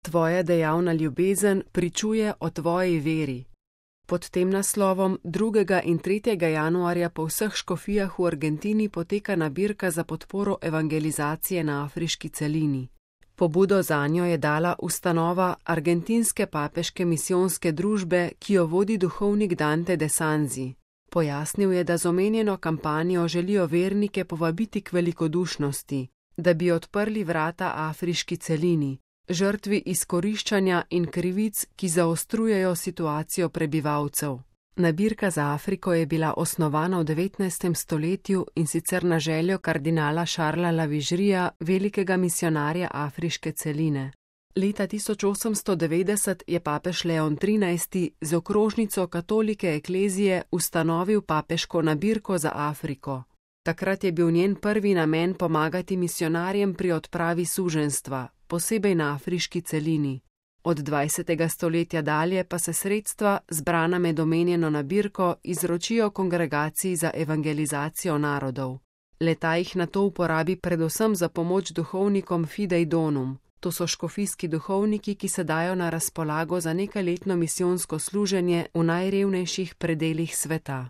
Tvoja dejavna ljubezen pričuje o tvoji veri. Pod tem naslovom 2. in 3. januarja po vseh škofijah v Argentini poteka nabirka za podporo evangelizacije na afriški celini. Pobudo zanjo je dala ustanova Argentinske papeške misijonske družbe, ki jo vodi duhovnik Dante de Sanzi. Pojasnil je, da z omenjeno kampanjo želijo vernike povabiti k velikodušnosti, da bi odprli vrata afriški celini, žrtvi izkoriščanja in krivic, ki zaostrujejo situacijo prebivalcev. Nabirka za Afriko je bila osnovana v 19. stoletju in sicer na željo kardinala Šarla Lavižrija, velikega misijonarja afriške celine. Leta 1890 je papež Leon XIII z okrožnico katolike eklezije ustanovil papeško nabirko za Afriko. Takrat je bil njen prvi namen pomagati misijonarjem pri odpravi suženjstva, posebej na afriški celini. Od 20. stoletja dalje pa se sredstva, zbrana med omenjeno nabirko, izročijo kongregaciji za evangelizacijo narodov. Le-ta jih nato uporabi predvsem za pomoč duhovnikom Fidei Donum. To so škofijski duhovniki, ki se dajo na razpolago za nekajletno misijonsko služenje v najrevnejših predelih sveta.